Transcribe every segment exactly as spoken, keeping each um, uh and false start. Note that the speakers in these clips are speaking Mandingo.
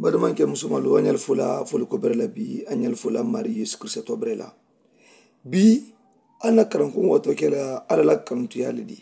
Badimaŋ ke musumalu a ñali fula fuli ko bere la bii a ñali fula mari yesu kirisito bere la. Bii a na karankuŋ wato ke la alla la karantuyaa le di.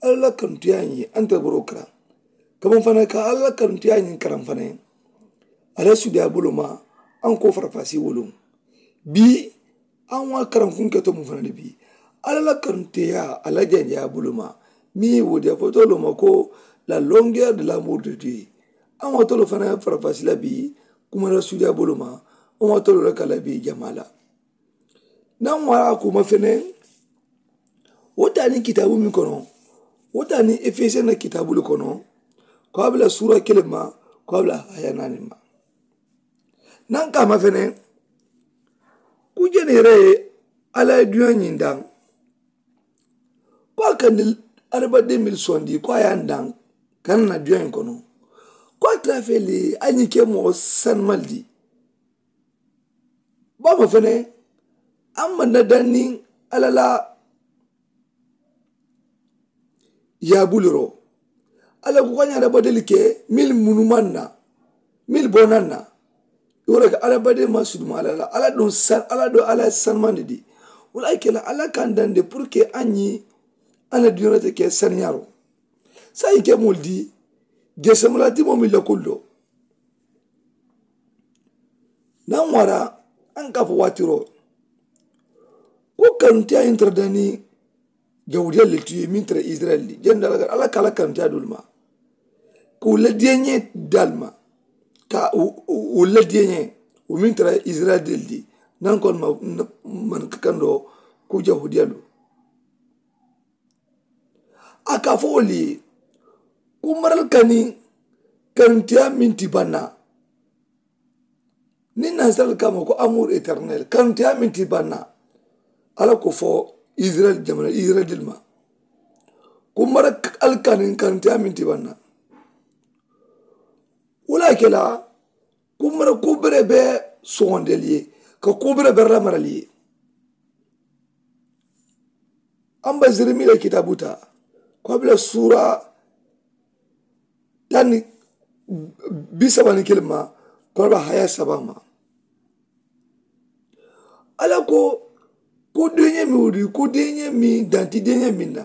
Alla la karantuyaa ñiŋ a nte boro karaŋ. Kaman fana ka alla la karantuyaa ñiŋ karaŋ fana a la sudiyaa bulu ma a n ko farafasi wuluŋ. Bii a ŋa karankuŋ ke to mu fana le bii. Alla la karantuyaa a la janjaa bulu ma miŋ ye wo diya fo tolu ma ko la longueur de la mort de dieu. A ŋa tolu fana farafasi la bii kuma la sudiyaa bulu ma. A ŋa tolu la ka la bii jamaa la. Naŋ wara a kuma fene wo taa niŋ kitaabu meŋ kono wo taa niŋ efesiyeni la kitaabu le kono. Ko a bula suura kiliŋ ma ko a bula haya naani ma. Naŋ kaama fene ku jeni yere ye alla ye duña ñiŋ daŋ ko a kandi araba de mil sondi ko a ye a daŋ kana na duña ñiŋ kono. Ko a tara fele a ñiŋ ke moo sanimali di. Baama fene a maŋ na daŋ niŋ alla la yaabuliro. Alla ko ka ñaata badeli ke mili munumaŋ na mili bonaŋ na. I wo le ka alla badeli maŋ suduma alla la alla duŋ san alla do alla ye sanimandi di. Wo le a ke la alla kaŋ daŋ de puru ke a ñiŋ a na duniyaa te ke saniyaaro. Saayiŋ ke moolu di jeesemalaa ti moo miŋ la kulu do. Naŋ wara a n ka fo waatiroo ko kanuntiyaayi n tara dani. Jawudiyaalu le ti ye meŋ tara isirayili di jani daali ka alla ka alla kanuntiyaa doolu ma ka wo ladiyañee daali ma ka wo ladiyañee wo meŋ tara isirayili di naŋ ko man ka kandoo ko jawudiyaalu. A ka fo wo le ye ko marali kani kanuntiyaa meŋ ti bannaa. Niŋ nansarali ka a ma ko amour éternel kanuntiyaa meŋ ti bannaa. Alla ko fo isirayili jamana isirayili dili ma ko mara ali kaniŋ kanuntiyaa meŋ ti bannaa. Wo le a ke la ko mara ko bere be soŋondeli ye ka ko bere bere la marali ye. An ba zirimi la kitaabu taa ko a bila suura tani bisaba ni kiliŋ ma ko a bila haya saba ma. Alla ko ko deeñee meŋ wudi ko deeñee meŋ danti deeñee meŋ na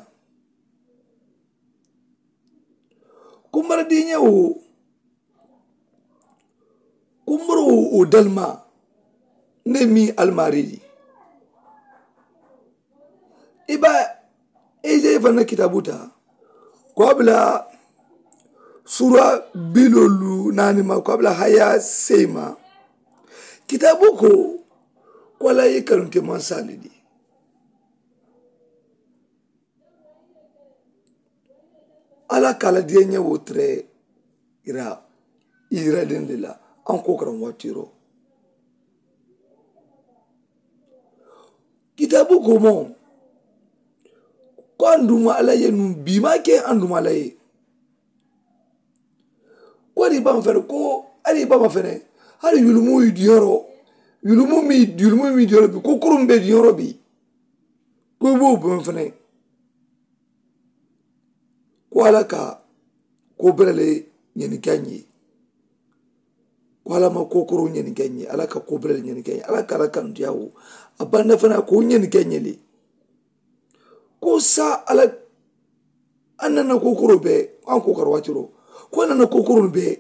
ko mara deeñee wo ko mara wo wo dalimaa ne meŋ alimaarii di. I ba ezeyi fanaŋ na kitaabu taa ko a bila suura biloolu naani ma ko a bila haya seyi ma. Kitaabu ko ko alla ye i kanunte mansaa le di. Alla ka a la diyañee wo tere ira isirayiliŋ de la. A n ko karaŋ waatiiroo kitaabu ko moo ko a n duma alla ye nuŋ bii maa ke a n duma alla ye. Ko ali i baama fene ko ali i baama fene. Hali yulumu i diyoroo yulumu mi yulumu mi diyoroo bi ko kuruŋ be diyoroo bi. Ko i be wo baama fene ko alla ka ko bere le ñanika ñe. Ko alla ma ko koro ñanika ñe alla ka ko bere le ñanika ñe alla ka alla kantiya wo. A banda fana ko ñanika ñe le ko sa alla. An nana ko koro be an ko karo watiro ko nana ko koro be.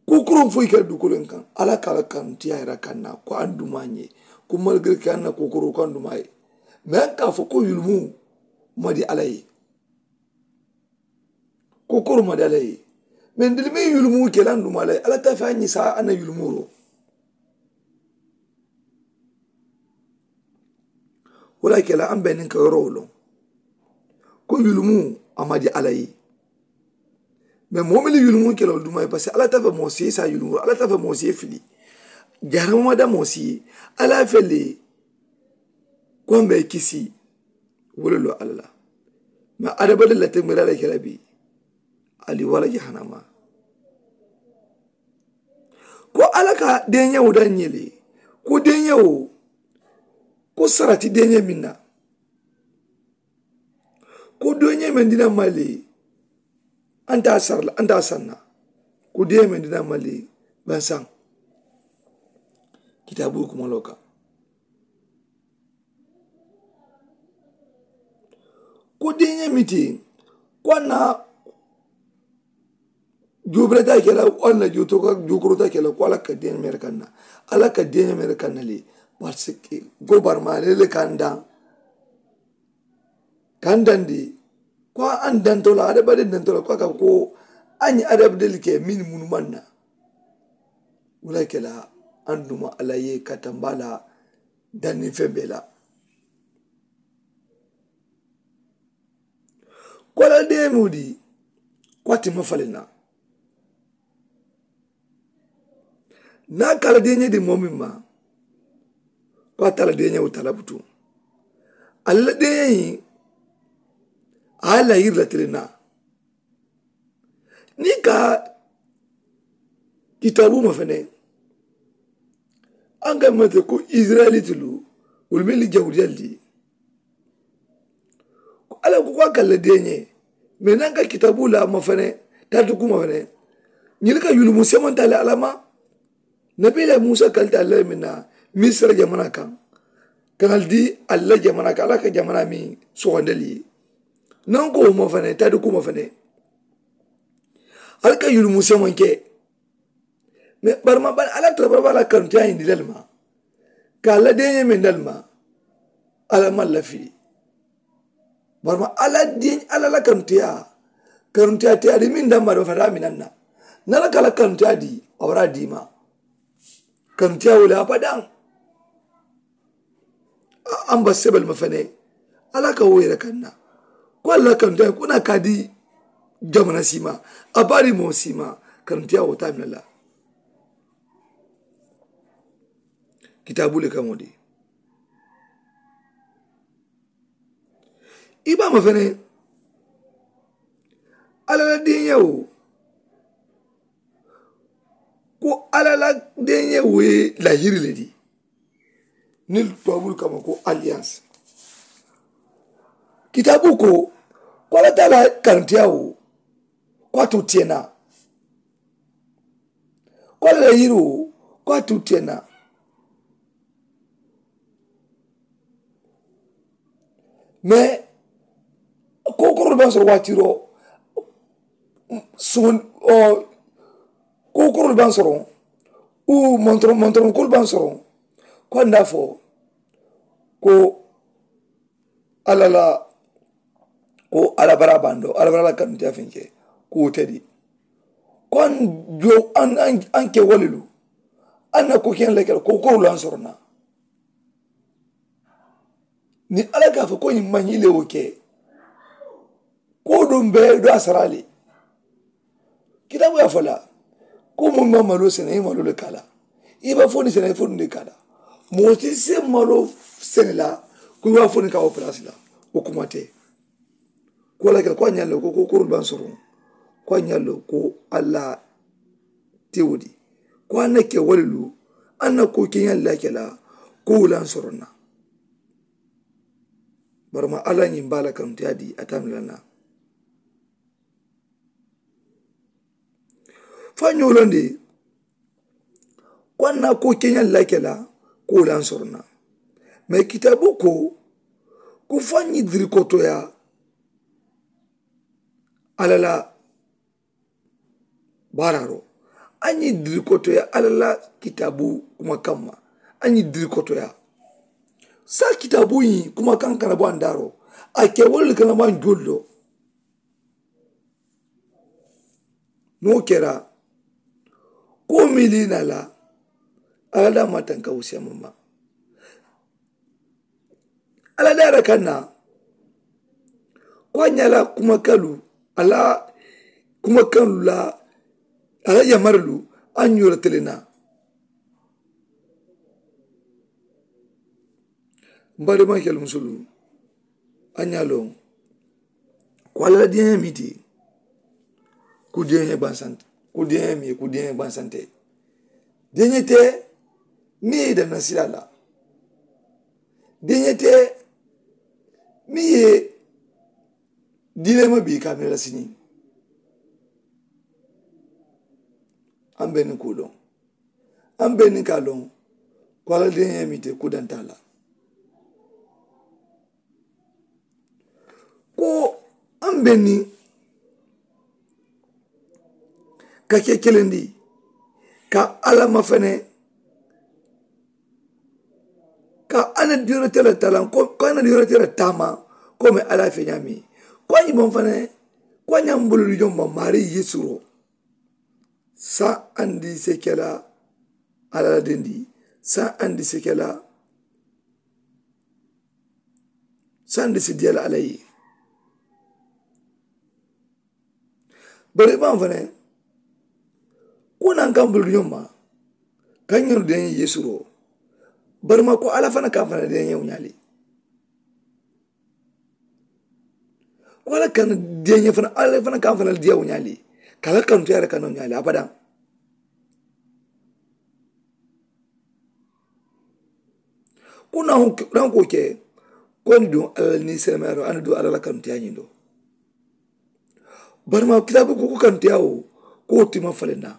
Ko koro foyi ka dukulen kan alla ka alla kantiya yera kanna ko an duma ñe. Ko malgré que an na ko koro ko an duma ye mais an ka fo ko yulumu madi alla ye. Ko koro madi alla ye mais ndili me yulumu ke lan duma alla ye alla ta fe an ñi sa an na yulumu ro. Wo le a ke la an be niŋ ka yorowo loŋ ko yulumu a madi alla ye. Mais moo mili yulumu ke la wo duma ye parce que alla ta fe moo si sa yulumu alla ta fe moo si fili. Jarama ma da moo si ye alla fe le ko an be kisi. Wo le lo alla la mais adamadiŋ la teŋ mira le ke la bi. Ali wala jahannama ko alla ka deeñewo daŋ ñe le ko deeñewo ko sarati deeñe meŋ na. Ko deeñe meŋ dina ma le anta sarla anta sanna. Ko deeñe meŋ dina ma le Bansaŋ kitaabu kumaloo kaŋ. Ko diiñe miti ko a na juubirata ke la walla juutuka juukuruta ke la ko ala ka diiñe mere kaŋ na. Ala ka diiñe mere kaŋ na le. Parce que gobarma le le kaŋ daŋ kaŋ daŋ di ko a n danto la adabade danto la ko a ka ko a ñe adabade le ke min munu maŋ na. Wula ke la an duma ala ye ka tamba la danni feŋ be la. Ko a la deemu di ko a ti ma fale na. Niŋ a ka a la deeñee di moo meŋ ma ko a te a la deeñee wo talabutu. Ali la deeñee ñiŋ a ye a la yiri la tili naa. Niŋ i ka kitaabu ma fene a ka mate ko isirayilitulu wolu meŋ li jawudiyali di. Ko ala ko ko a ka la deeñee mais naŋ ka kitaabu la ma fene taati kuma fene ñili ka yulumu semantaale alama. Nabiila musa kalita alla meŋ na misira jamana kaŋ kana di alla jamana kaŋ alla ka jamana meŋ sogondali ye. Naŋ ko wo ma fene taati kuma fene ali ka yulumu semanke. Mais barima bari alla tara bari bari alla kanuta ñindi lali ma ka alla deeñee meŋ lali ma. Alla maŋ lafili barima alla deeñee alla la kanuta kanuta te a di meŋ damba do fata a minaŋ na. Niŋ alla ka alla kanuta di a wara a di ma. Kanuta wo le abadaŋ. An ba sebel ma fene alla ka wo yere kaŋ na ko alla kanuta ko na ka di jamana sima a bari moo sima. Kanuta wo tamina la kitaabu le kaŋo di. I ba ma fene alla la deeñewo ko alla la deeñewo ye lahiri le di. Niŋ tuwabulu kama ko alliance kitaabu ko ko alla taala karantiya wo ko a tu tiyeŋ na. Ko alla la yiri wo ko a tu tiyeŋ na. Mais ko korolu baŋ soro waatiro suŋ ko korolu baŋ soro u montoro montoro kolu baŋ soro ko a nda fo ko alla la ko alla bara bando alla bara la kanuntiya feŋ ke ko wo te di. Ko an jo an ke walilu an na ko kiyaŋ le ke la ko korolu an soro na. Niŋ alla ka a fo ko ñiŋ maŋ ñiŋ le wo ke ko duŋ be do a sara le. Kitaabu ye a fo la ko moolu maŋ maloo sene i maloo le ka a la. I be fo niŋ sene i fo niŋ de ka a la. Moo si se maloo sene la ko i be a fo niŋ ka wo palaasi la. Wo kuma te. Ko la ke ko a ñaŋ le ko ko korolu baŋ soroŋ ko a ñaŋ le ko alla te wo di. Ko a na ke walilu a na ko keñaŋ la ke la ko wulaŋ soroŋ na. Barama alla ñiŋ baa la kanuta di a tamila na. Fo a ñoo londi ko a na ko keñaŋ la ke la ko wulaŋ soroŋ na. Mais kitaabu ko ko fo a ñiŋ diri kotoya alla la baaraaroo a ñiŋ diri kotoya alla la kitaabu kumakaŋ ma. A ñiŋ diri kotoya saa kitaabu ñiŋ kumakaŋ kana bo a n daaroo a ke wolu le kana bo a n joolu do. Niŋ wo kera ko miiliina la alla daa maa tanka wo siyama ma. Alla daara kaŋ na ko a ñaa la kumakalu a la kumakalu la a la yamarilu a ñoo la tele na. Mbaadimankelu musolu a ñaa loŋ ko alla la diiñaa ye miti ku diiñaa ye bansante ku diiñaa ye miti ku diiñaa ye bansante. Diiñaa te niŋ ye i danna sila la diiñaa te niŋ ye diileema bii ka a mira la siniŋ. Aŋ be niŋ kuu loŋ Aŋ be niŋ ka a loŋ ko alla deeñee miŋ te kudantaa la, ko aŋ be niŋ ka ke kelendi ka alla mafene ka a na diyorete la talaŋ ko a na diyorete la taama ko me alla ye fe ñaami ko a ñimaŋ fana ko a ñaŋ bululu joŋ ma maari yeesu ro. Sa andi sekela alla la dendi sa andi sekela sa andi si diyala alla ye. Bari i maŋ fana ko naŋ kaŋ bulu ñoŋ ma kaŋ ñenu deeñe yeesu ro. Bari ma ko alla fana kaŋ fana deeñe wo ñaali ko alla kaŋ deeñe fana alla fana kaŋ fana diya wo ñaali ka alla kaŋ tuyaari kaŋ wo ñaali abadaŋ. Ko naŋ ko ke ko ni duŋ alla ni senemayaro ani duŋ alla la kaŋ tuyaari ñiŋ do. Bari ma kitaabu ko ko kaŋ tuyaari wo ko wo tima faleŋ na.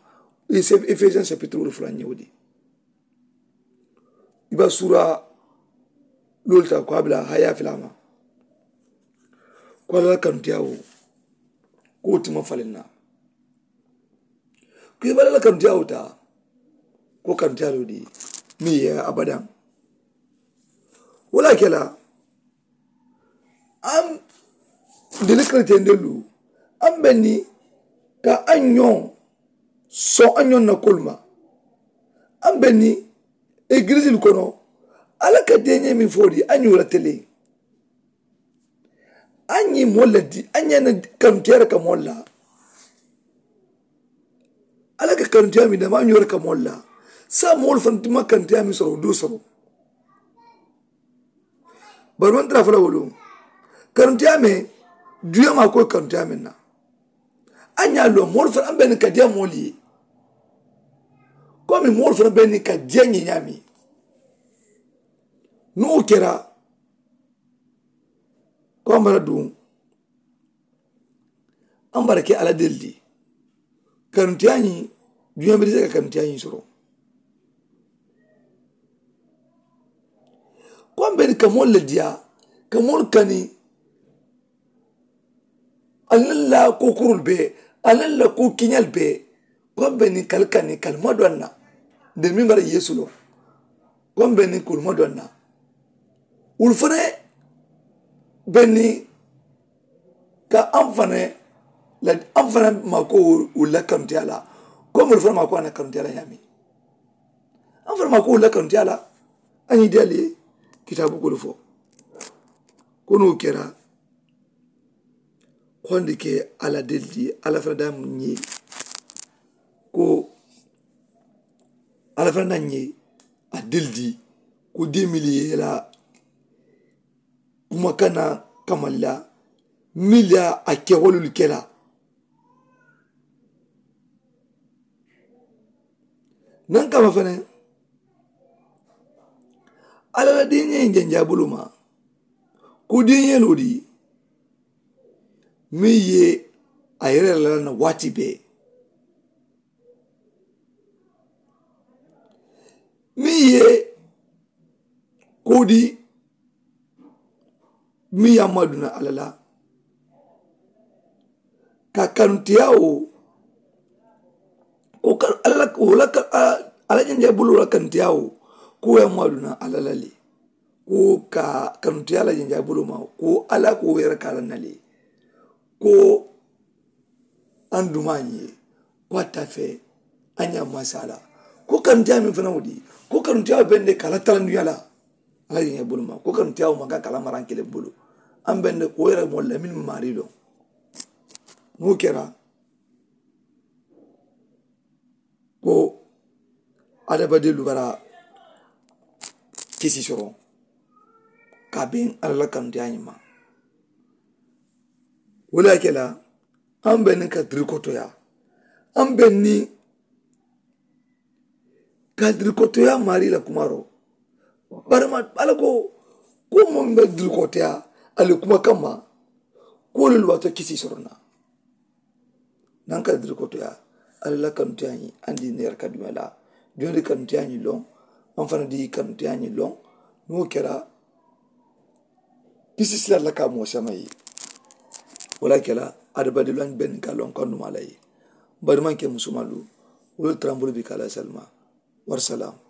Efesiyaŋ sapitiri wolu fula ñewo di i ba suura loolu ta ko a bila haya filama ko alla la kaŋ tuyaari wo ko wo tima faleŋ na. Ko i bala la kaŋ tuyaari wo ta ko kaŋ tuyaari wo di miŋ ye abadaŋ. Wo le a ke la aŋ deli keretendelu aŋ be ni ka aŋ ñoŋ soŋ aŋ ñoŋ na kolu ma. Aŋ be ni egilisilu kono alla ka deeñee miŋ fo di aŋ ñoo la tele. Aŋ ñiŋ moolu le di aŋ ñaŋ na kanuteere ka moolu la. Alla ka kanuteya miŋ dama aŋ ñoo le ka moolu la. Saayiŋ moolu fanaŋ ti maŋ kanuteya miŋ soro wo doo soro. Bari maŋ tara fo la wo loŋ kanuteya meŋ duniyaa maa ko ye kanuteya meŋ na. Aŋ ñaa loŋ moolu fanaŋ aŋ be niŋ ka diya moolu ye. Komi moolu fanaŋ be niŋ ka diya ñiŋ ñaamiŋ niŋ wo kera ko a mara duŋ a mara ke alla deli di. Kanuteyaa ñiŋ duniyaa be di se ka kanuteyaa ñiŋ soro. Ko a mbe ni ka moolu le diyaa ka moolu kani. Alla la ko kurul be alla la ko kiñal be. Ko a mbe ni kal kani kal ma do anna de mi bara yesu lo. Ko a mbe ni kul ma do anna wul fane be ni ka an fane la an fane ma ko wul la kantiya la. Ko mul fane ma ko ana kantiya la yami an fane ma ko wul la kantiya la. An yi dali kitabu kul fo ko no kera. Ko a ndi ke alla deli di alla fana da mu ñe ko alla fana da ñe a deli di ko de mili ye la kuma kana kamalla mili a ke wolul kela. Nan kama fana alla la diiñee janjaa bulu ma ko diiñee loo di. Meŋ ye a yere la na waati bee meŋ ye ko di meŋ ye a maduna alla la ka kantiyaa wo ko alla la ko la ka alla janjaa bulu la kantiyaa wo ko ye a maduna alla la le. Ko ka kanutiya la janjaa bulu ma ko alla ko yere ka alla na le ko an duma ye ko a tafe an ya masala ko kanutiya min fana wudi ko kanutiya bende kala talanduya la. Alla janjaa bulu ma ko kanutiya ma ka kala maran kele bulu an bende ko yere mo lamin marilo. Mo kera ko adabadelu bara kisi soroŋ ka beŋ alla la kanuteya ñiŋ ma. Wo le ye a ke la aŋ be niŋ ka dirikotoya aŋ be niŋ ka dirikotoya maari la kumaaro. Bari ma alla ko ko moŋ be dirikotoya ali kuma kamma ko wolu le waato kisi soroŋ na. Naŋ ka diri kotoya alla la kanuteya ñiŋ andi neera ka duña la. Duña di kanuteya ñiŋ loŋ, maŋ fana di kanuteya ñiŋ loŋ. Niŋ wo kera, kisi sila la ka moo sama ye. Wo la kela adabadi loŋ benni ka loŋ kanduma la ye. Bari maŋ ke musumalu, wolu tarambulu bi ka la salima. Wari salam.